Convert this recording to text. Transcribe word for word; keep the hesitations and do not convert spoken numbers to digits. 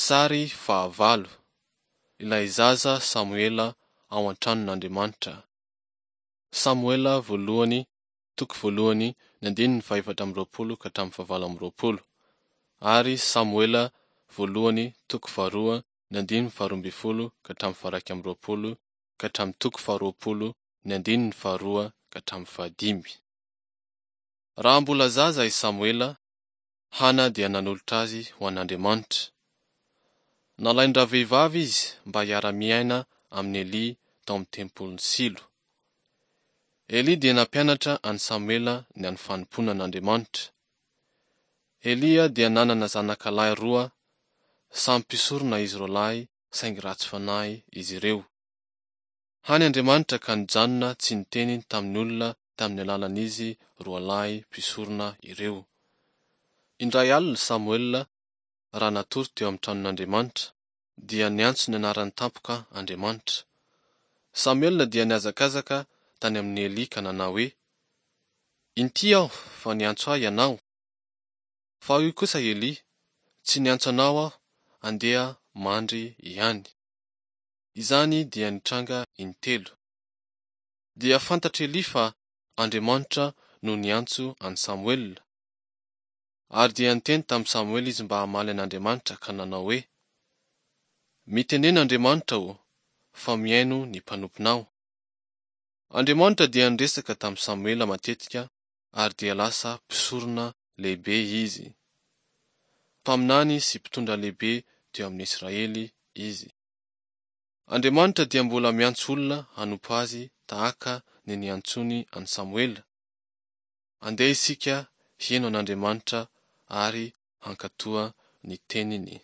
Sary fahavalo. Ilay zaza Samoela ao an-tranon'Andriamanitra. Samoela voalohany, toko voalohany, ny andininy fahefatra amby roapolo ka hatramin'ny fahavalo amby roapolo. Ary Samoela voalohany, toko faharoa, ny andininy faharoa ambin'ny folo ka hatramin'ny faharaika amby roapolo ka hatramin'ny toko faharoapolo, ny andininy faharoa ka hatramin'ny fahadimy. Raha mbola zaza i Samoela, Hana dia nanolotra azy ho an'Andriamanitra. Nalain-dravehivavy izy mba hiara-miaina amin'i Elia tao amin'ny tempolin'i Silo. Elia dia nampianatra an'i Samoela ny amin'ny fanompoana an'Andriamanitra. Elia dia nanana zanakalahy roa, samy mpisorona izy roalahy saingy ratsy fanahy izy ireo. Hany Andriamanitra ka nijanona tsy niteny tamin'ny olona tamin'ny alalan'izy roalahy mpisorona ireo. Indray alina Samoela, raha natory teo amin'ny tranon'Andriamanitra, dia niantso ny anarany tampoka Andriamanitra. Samoela dia nihazakazaka tany amin'i Elia ka nanao hoe, Inty aho fa niantso ahy ianao. Fa hoy kosa Elia, Tsy niantso anao aho, andeha mandry ihany. Izany dia nitranga intelo. Dia fantatr'i Elia fa Andriamanitra no niantso an'i Samoela. Ary dia niteny tamin'i Samoela izy mba hamaly an'Andriamanitra ka nanao hoe, Mitenena Andriamanitra ô, fa mihaino ny mpanomponao. Andriamanitra dia niresaka tamin'i Samoela matetika ary dia lasa mpisorona lehibe izy. Mpaminany sy mpitondra lehibe teo amin'ny Israely izy. Andriamanitra dia mbola miantso olona hanompo azy tahaka ny niantsoany an'i Samoela. Andeha isika hino an'Andriamanitra ary hankatoa ny teniny.